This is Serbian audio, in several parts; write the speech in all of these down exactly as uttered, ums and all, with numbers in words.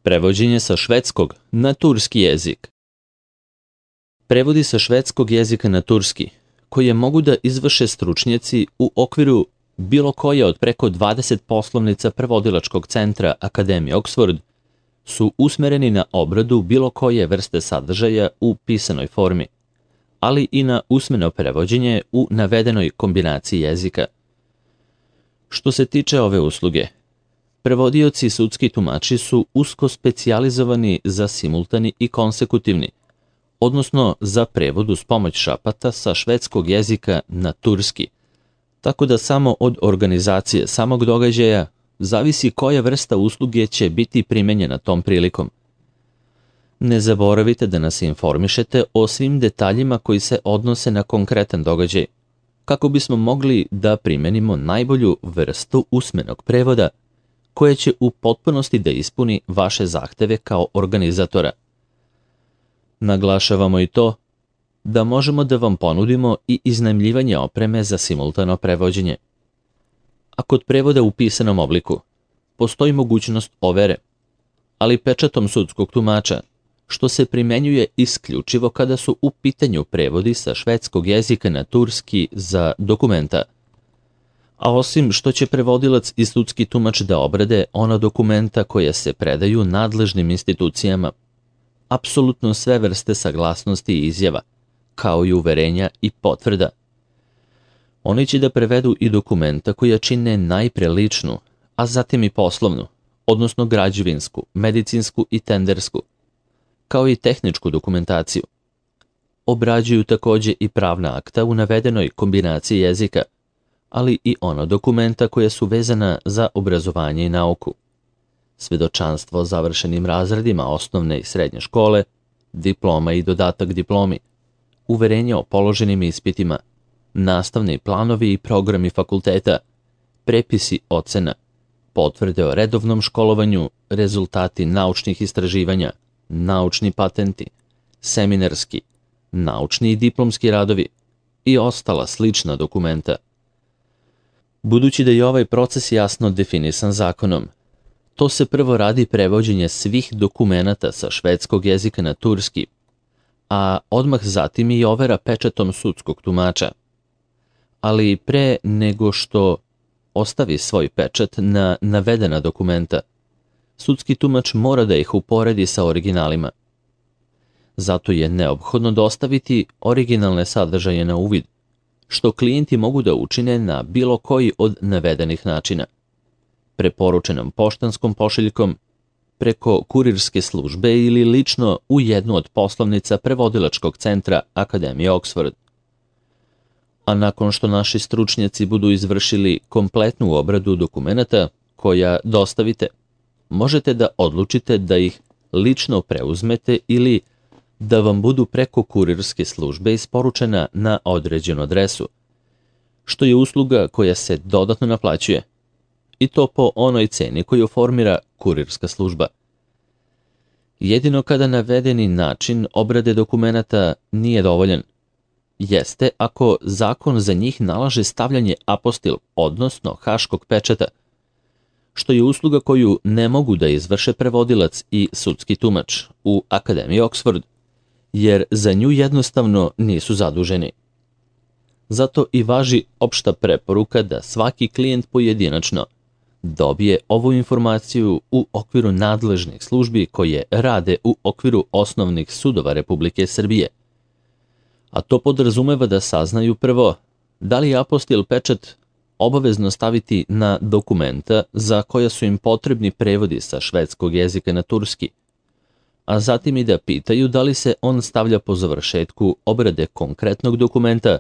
Prevođenje sa švedskog na turski jezik. Prevodi sa švedskog jezika na turski, koje mogu da izvrše stručnjaci u okviru bilo koje od preko dvadeset poslovnica prevodilačkog centra Akademije Oxford, su usmereni na obradu bilo koje vrste sadržaja u pisanoj formi, ali i na usmeno prevođenje u navedenoj kombinaciji jezika. Što se tiče ove usluge, prevodioci i sudski tumači su usko specijalizovani za simultani i konsekutivni, odnosno za prevod uz pomoć šapata sa švedskog jezika na turski, tako da samo od organizacije samog događaja zavisi koja vrsta usluge će biti primenjena tom prilikom. Ne zaboravite da nas informišete o svim detaljima koji se odnose na konkretan događaj, kako bismo mogli da primenimo najbolju vrstu usmenog prevoda, koje će u potpunosti da ispuni vaše zahteve kao organizatora. Naglašavamo i to da možemo da vam ponudimo i iznajmljivanje opreme za simultano prevođenje. A kod prevoda u pisanom obliku postoji mogućnost overe, ali pečatom sudskog tumača, što se primenjuje isključivo kada su u pitanju prevodi sa švedskog jezika na turski za dokumenta. A osim što će prevodilac i sudski tumač da obrade ona dokumenta koja se predaju nadležnim institucijama, apsolutno sve vrste saglasnosti i izjava, kao i uverenja i potvrda. Oni će da prevedu i dokumenta koja čine najpre ličnu, a zatim i poslovnu, odnosno građevinsku, medicinsku i tendersku, kao i tehničku dokumentaciju. Obrađuju takođe i pravna akta u navedenoj kombinaciji jezika, ali i ona dokumenta koja su vezana za obrazovanje i nauku. Svedočanstvo o završenim razredima osnovne i srednje škole, diploma i dodatak diplomi, uverenje o položenim ispitima, nastavni planovi i programi fakulteta, prepisi ocena, potvrde o redovnom školovanju, rezultati naučnih istraživanja, naučni patenti, seminarski, naučni i diplomski radovi i ostala slična dokumenta. Budući da je ovaj proces jasno definisan zakonom, to se prvo radi prevođenje svih dokumenata sa švedskog jezika na turski, a odmah zatim i overa pečatom sudskog tumača. Ali pre nego što ostavi svoj pečat na navedena dokumenta, sudski tumač mora da ih uporedi sa originalima. Zato je neophodno dostaviti originalne sadržaje na uvid, što klijenti mogu da učine na bilo koji od navedenih načina. Preporučenom poštanskom pošiljkom, preko kurirske službe ili lično u jednu od poslovnica prevodilačkog centra Akademije Oxford. A nakon što naši stručnjaci budu izvršili kompletnu obradu dokumenata koja dostavite, možete da odlučite da ih lično preuzmete ili da vam budu preko kurirske službe isporučena na određenu adresu, što je usluga koja se dodatno naplaćuje, i to po onoj ceni koju formira kurirska služba. Jedino kada navedeni način obrade dokumenata nije dovoljan, jeste ako zakon za njih nalaže stavljanje apostil, odnosno haškog pečata, što je usluga koju ne mogu da izvrše prevodilac i sudski tumač u Akademiji Oxford, jer za nju jednostavno nisu zaduženi. Zato i važi opšta preporuka da svaki klijent pojedinačno dobije ovu informaciju u okviru nadležnih službi koje rade u okviru osnovnih sudova Republike Srbije. A to podrazumeva da saznaju prvo da li je apostil pečat obavezno staviti na dokumenta za koja su im potrebni prevodi sa švedskog jezika na turski, a zatim i da pitaju da li se on stavlja po završetku obrade konkretnog dokumenta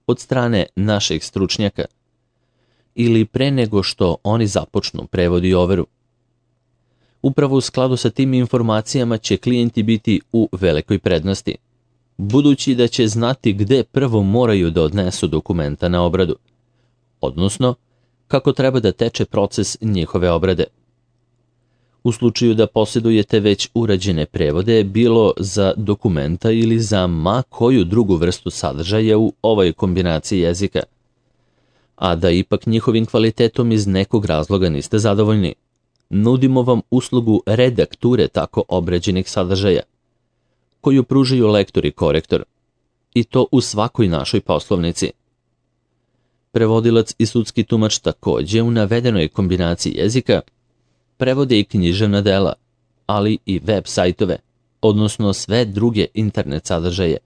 od strane naših stručnjaka ili pre nego što oni započnu prevod i overu. Upravo u skladu sa tim informacijama će klijenti biti u velikoj prednosti, budući da će znati gde prvo moraju da odnesu dokumenta na obradu, odnosno kako treba da teče proces njihove obrade. U slučaju da posjedujete već urađene prevode, bilo za dokumenta ili za ma koju drugu vrstu sadržaja u ovoj kombinaciji jezika, a da ipak njihovim kvalitetom iz nekog razloga niste zadovoljni, nudimo vam uslugu redakture tako obređenih sadržaja, koju pružaju lektor i korektor, i to u svakoj našoj poslovnici. Prevodilac i sudski tumač takođe u navedenoj kombinaciji jezika prevode i književna dela, ali i web sajtove, odnosno sve druge internet sadržaje.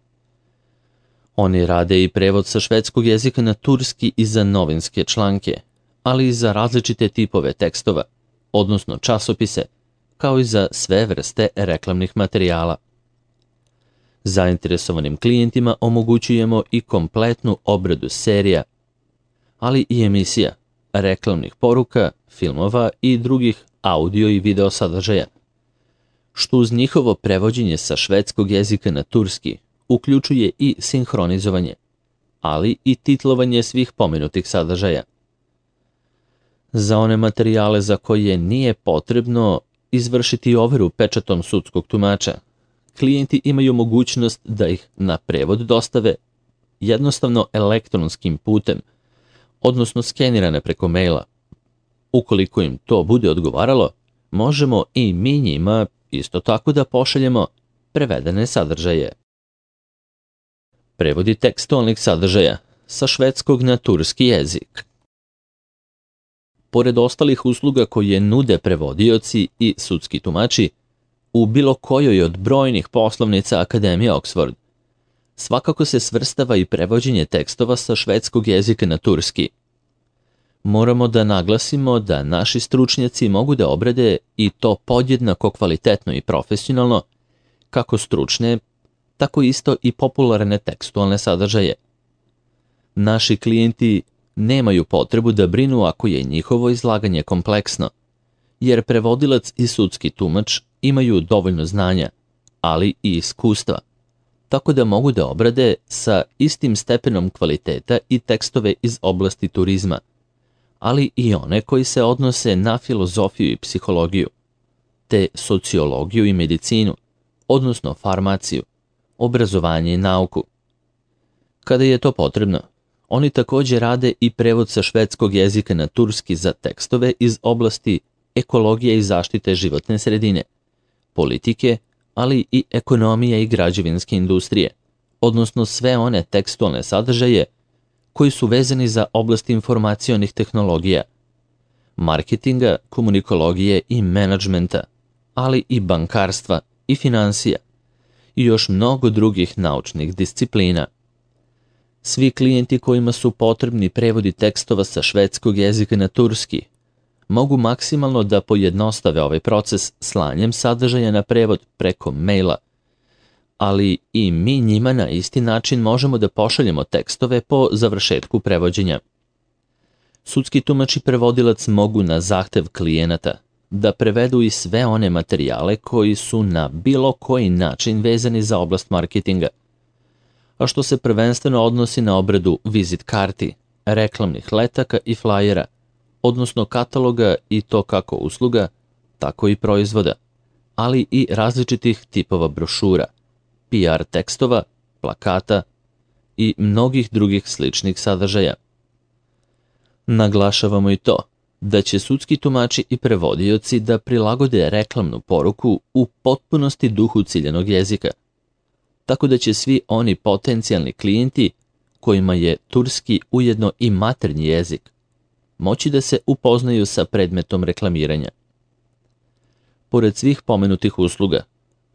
Oni rade i prevod sa švedskog jezika na turski i za novinske članke, ali i za različite tipove tekstova, odnosno časopise, kao i za sve vrste reklamnih materijala. Zainteresovanim klijentima omogućujemo i kompletnu obradu serija, ali i emisija, reklamnih poruka, filmova i drugih audio i video sadržaja, što uz njihovo prevođenje sa švedskog jezika na turski uključuje i sinhronizovanje, ali i titlovanje svih pomenutih sadržaja. Za one materijale za koje nije potrebno izvršiti overu pečatom sudskog tumača, klijenti imaju mogućnost da ih na prevod dostave jednostavno elektronskim putem, odnosno skenirane preko maila. Ukoliko im to bude odgovaralo, možemo i mi njima isto tako da pošaljemo prevedene sadržaje. Prevodi tekstualnih sadržaja sa švedskog na turski jezik. Pored ostalih usluga koje nude prevodioci i sudski tumači u bilo kojoj od brojnih poslovnica Akademije Oxford, svakako se svrstava i prevođenje tekstova sa švedskog jezika na turski. Moramo da naglasimo da naši stručnjaci mogu da obrade i to podjednako kvalitetno i profesionalno, kako stručne, tako isto i popularne tekstualne sadržaje. Naši klijenti nemaju potrebu da brinu ako je njihovo izlaganje kompleksno, jer prevodilac i sudski tumač imaju dovoljno znanja, ali i iskustva, tako da mogu da obrade sa istim stepenom kvaliteta i tekstove iz oblasti turizma, ali i one koji se odnose na filozofiju i psihologiju, te sociologiju i medicinu, odnosno farmaciju, obrazovanje i nauku. Kada je to potrebno, oni takođe rade i prevod sa švedskog jezika na turski za tekstove iz oblasti ekologije i zaštite životne sredine, politike, ali i ekonomije i građevinske industrije, odnosno sve one tekstualne sadržaje koji su vezani za oblast informacionih tehnologija, marketinga, komunikologije i menadžmenta, ali i bankarstva i finansija i još mnogo drugih naučnih disciplina. Svi klijenti kojima su potrebni prevodi tekstova sa švedskog jezika na turski mogu maksimalno da pojednostave ovaj proces slanjem sadržaja na prevod preko maila, ali i mi njima na isti način možemo da pošaljemo tekstove po završetku prevođenja. Sudski tumač i prevodilac mogu na zahtev klijenata da prevedu i sve one materijale koji su na bilo koji način vezani za oblast marketinga, a što se prvenstveno odnosi na obradu vizit karti, reklamnih letaka i flajera, odnosno kataloga i to kako usluga, tako i proizvoda, ali i različitih tipova brošura, P R tekstova, plakata i mnogih drugih sličnih sadržaja. Naglašavamo i to da će sudski tumači i prevodioci da prilagode reklamnu poruku u potpunosti duhu ciljanog jezika, tako da će svi oni potencijalni klijenti kojima je turski ujedno i maternji jezik moći da se upoznaju sa predmetom reklamiranja. Pored svih pomenutih usluga,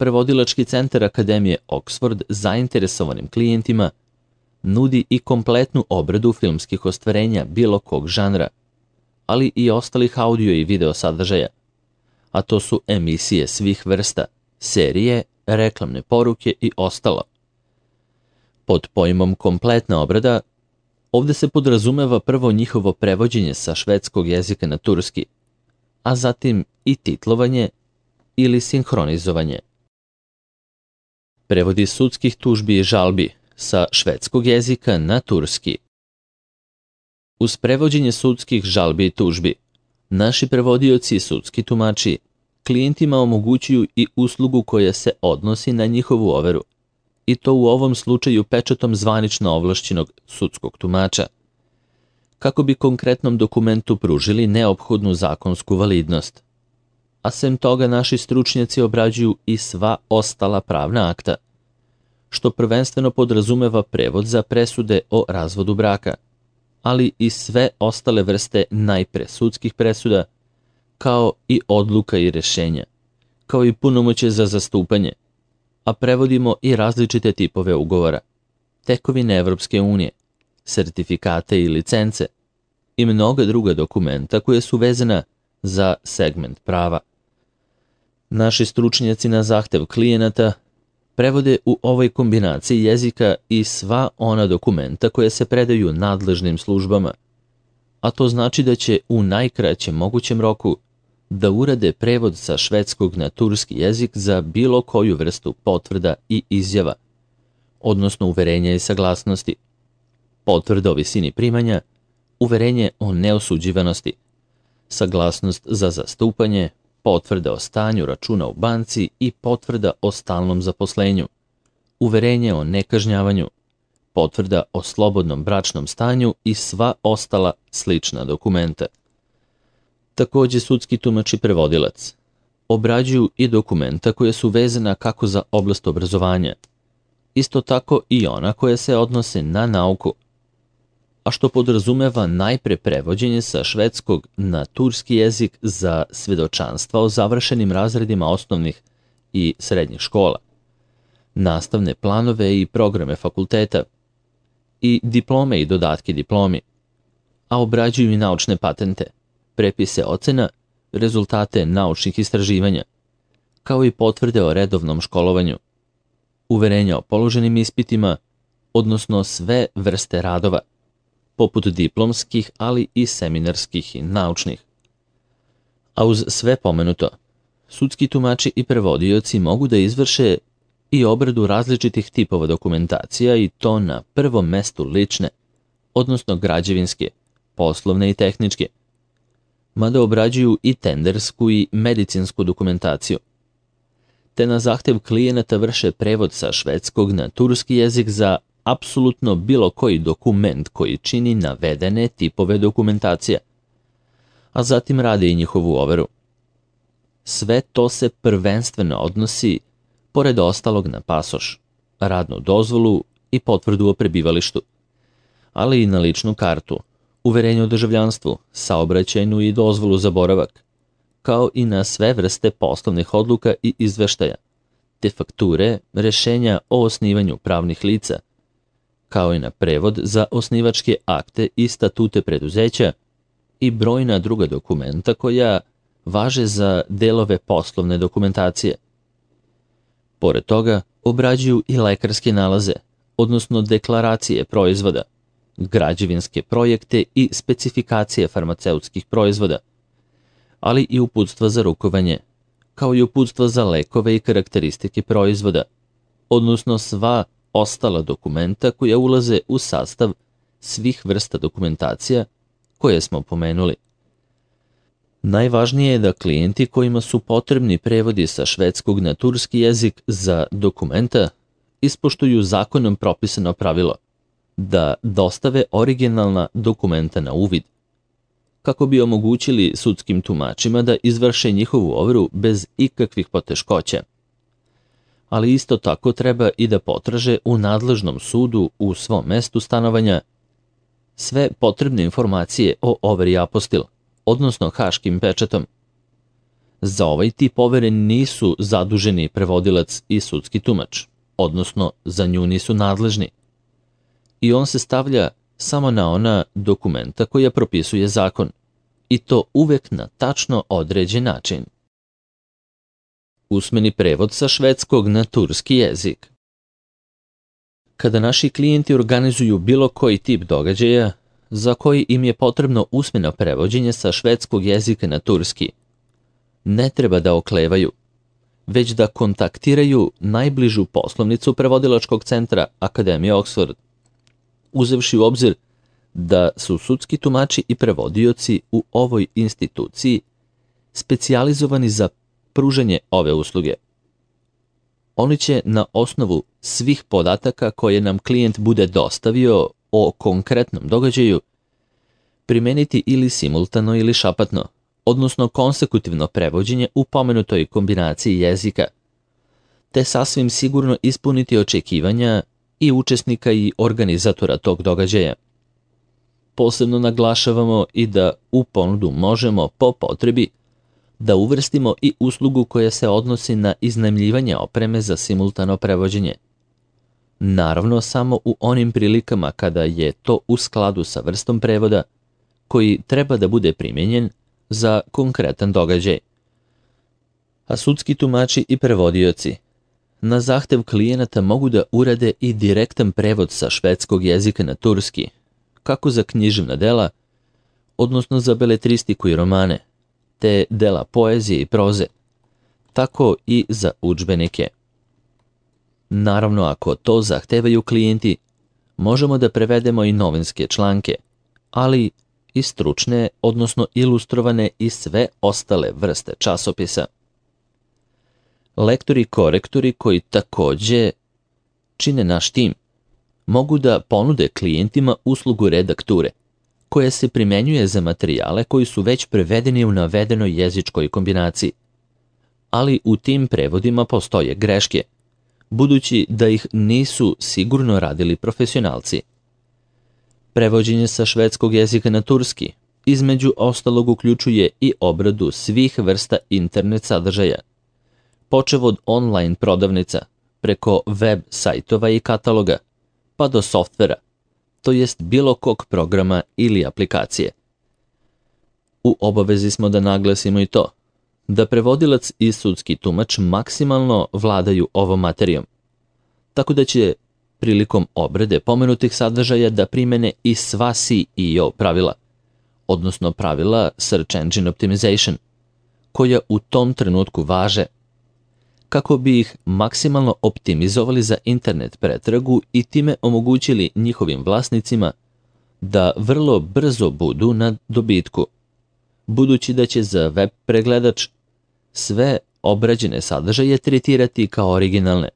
Prevodilački centar Akademije Oxford zainteresovanim klijentima nudi i kompletnu obradu filmskih ostvarenja bilo kog žanra, ali i ostalih audio i video sadržaja, a to su emisije svih vrsta, serije, reklamne poruke i ostalo. Pod pojmom kompletna obrada, ovde se podrazumeva prvo njihovo prevođenje sa švedskog jezika na turski, a zatim i titlovanje ili sinhronizovanje. Prevodi sudskih tužbi i žalbi sa švedskog jezika na turski. Uz prevođenje sudskih žalbi i tužbi, naši prevodioci i sudski tumači klijentima omogućuju i uslugu koja se odnosi na njihovu overu, i to u ovom slučaju pečatom zvanično ovlašćenog sudskog tumača, kako bi konkretnom dokumentu pružili neophodnu zakonsku validnost. a sem toga naši stručnjaci obrađuju i sva ostala pravna akta, što prvenstveno podrazumeva prevod za presude o razvodu braka, ali i sve ostale vrste najpre sudskih presuda, kao i odluka i rešenja, kao i punomoćje za zastupanje, a prevodimo i različite tipove ugovora, tekovine Evropske unije, sertifikate i licence i mnoga druga dokumenta koje su vezana za segment prava. Naši stručnjaci na zahtev klijenata prevode u ovoj kombinaciji jezika i sva ona dokumenta koje se predaju nadležnim službama, a to znači da će u najkraćem mogućem roku da urade prevod sa švedskog na turski jezik za bilo koju vrstu potvrda i izjava, odnosno uverenja i saglasnosti, potvrda o visini primanja, uverenje o neosuđivanosti, saglasnost za zastupanje, potvrda o stanju računa u banci i potvrda o stalnom zaposlenju, uverenje o nekažnjavanju, potvrda o slobodnom bračnom stanju i sva ostala slična dokumenta. Takođe, sudski tumač i prevodilac obrađuju i dokumenta koje su vezana kako za oblast obrazovanja, isto tako i ona koja se odnose na nauku, a što podrazumeva najpre prevođenje sa švedskog na turski jezik za svedočanstva o završenim razredima osnovnih i srednjih škola, nastavne planove i programe fakulteta i diplome i dodatke diplomi, a obrađuju i naučne patente, prepise ocena, rezultate naučnih istraživanja, kao i potvrde o redovnom školovanju, uverenja o položenim ispitima, odnosno sve vrste radova, poput diplomskih, ali i seminarskih i naučnih. A uz sve pomenuto, sudski tumači i prevodioci mogu da izvrše i obradu različitih tipova dokumentacija i to na prvom mestu lične, odnosno građevinske, poslovne i tehničke, mada obrađuju i tendersku i medicinsku dokumentaciju, te na zahtev klijenata vrše prevod sa švedskog na turski jezik za apsolutno bilo koji dokument koji čini navedene tipove dokumentacija, a zatim rade i njihovu overu. Sve to se prvenstveno odnosi, pored ostalog, na pasoš, radnu dozvolu i potvrdu o prebivalištu, ali i na ličnu kartu, uverenje o državljanstvu, saobraćajnu i dozvolu za boravak, kao i na sve vrste poslovnih odluka i izveštaja, te fakture, rešenja o osnivanju pravnih lica, kao i na prevod za osnivačke akte i statute preduzeća i brojna druga dokumenta koja važe za delove poslovne dokumentacije. Pored toga, obrađuju i lekarske nalaze, odnosno deklaracije proizvoda, građevinske projekte i specifikacije farmaceutskih proizvoda, ali i uputstva za rukovanje, kao i uputstva za lekove i karakteristike proizvoda, odnosno sva ostala dokumenta koja ulaze u sastav svih vrsta dokumentacija koje smo pomenuli. Najvažnije je da klijenti kojima su potrebni prevodi sa švedskog na turski jezik za dokumenta ispoštuju zakonom propisano pravilo da dostave originalna dokumenta na uvid, kako bi omogućili sudskim tumačima da izvrše njihovu overu bez ikakvih poteškoća. Ali isto tako treba i da potraže u nadležnom sudu u svom mestu stanovanja sve potrebne informacije o overi apostil, odnosno haškim pečatom. Za ovaj tip overe nisu zaduženi prevodilac i sudski tumač, odnosno za nju nisu nadležni. I on se stavlja samo na ona dokumenta koja propisuje zakon, i to uvek na tačno određen način. Usmeni prevod sa švedskog na turski jezik. Kada naši klijenti organizuju bilo koji tip događaja za koji im je potrebno usmeno prevođenje sa švedskog jezika na turski, ne treba da oklevaju, već da kontaktiraju najbližu poslovnicu prevodilačkog centra Akademije Oxford, uzevši u obzir da su sudski tumači i prevodioci u ovoj instituciji specijalizovani za pružanje ove usluge. Oni će na osnovu svih podataka koje nam klijent bude dostavio o konkretnom događaju primeniti ili simultano ili šapatno, odnosno konsekutivno prevođenje u pomenutoj kombinaciji jezika, te sasvim sigurno ispuniti očekivanja i učesnika i organizatora tog događaja. Posebno naglašavamo i da u ponudu možemo, po potrebi, da uvrstimo i uslugu koja se odnosi na iznajmljivanje opreme za simultano prevođenje. Naravno, samo u onim prilikama kada je to u skladu sa vrstom prevoda koji treba da bude primijenjen za konkretan događaj. A sudski tumači i prevodioci na zahtev klijenata mogu da urade i direktan prevod sa švedskog jezika na turski, kako za književna dela, odnosno za beletristiku i romane, te dela poezije i proze, tako i za udžbenike. Naravno, ako to zahtevaju klijenti, možemo da prevedemo i novinske članke, ali i stručne, odnosno ilustrovane i sve ostale vrste časopisa. Lektori i korektori koji takođe čine naš tim, mogu da ponude klijentima uslugu redakture, koja se primenjuje za materijale koji su već prevedeni u navedenoj jezičkoj kombinaciji. Ali u tim prevodima postoje greške, budući da ih nisu sigurno radili profesionalci. Prevođenje sa švedskog jezika na turski, između ostalog, uključuje i obradu svih vrsta internet sadržaja, počev od online prodavnica, preko web sajtova i kataloga, pa do softvera, to jest bilo kog programa ili aplikacije. U obavezi smo da naglasimo i to, da prevodilac i sudski tumač maksimalno vladaju ovom materijom, tako da će prilikom obrade pomenutih sadržaja da primene i sva S E O pravila, odnosno pravila Search Engine Optimization, koja u tom trenutku važe, kako bi ih maksimalno optimizovali za internet pretragu i time omogućili njihovim vlasnicima da vrlo brzo budu na dobitku, budući da će za web pregledač sve obrađene sadržaje tretirati kao originalne,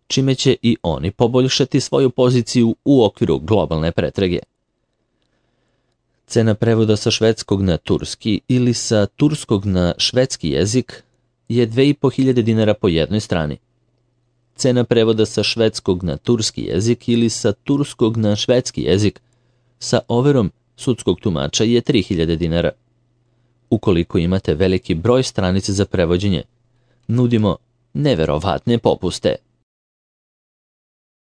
čime će i oni poboljšati svoju poziciju u okviru globalne pretrage. Cena prevoda sa švedskog na turski ili sa turskog na švedski jezik je dve i po hiljade dinara po jednoj strani. Cena prevoda sa švedskog na turski jezik ili sa turskog na švedski jezik sa overom sudskog tumača je tri hiljade dinara. Ukoliko imate veliki broj stranica za prevođenje, nudimo neverovatne popuste.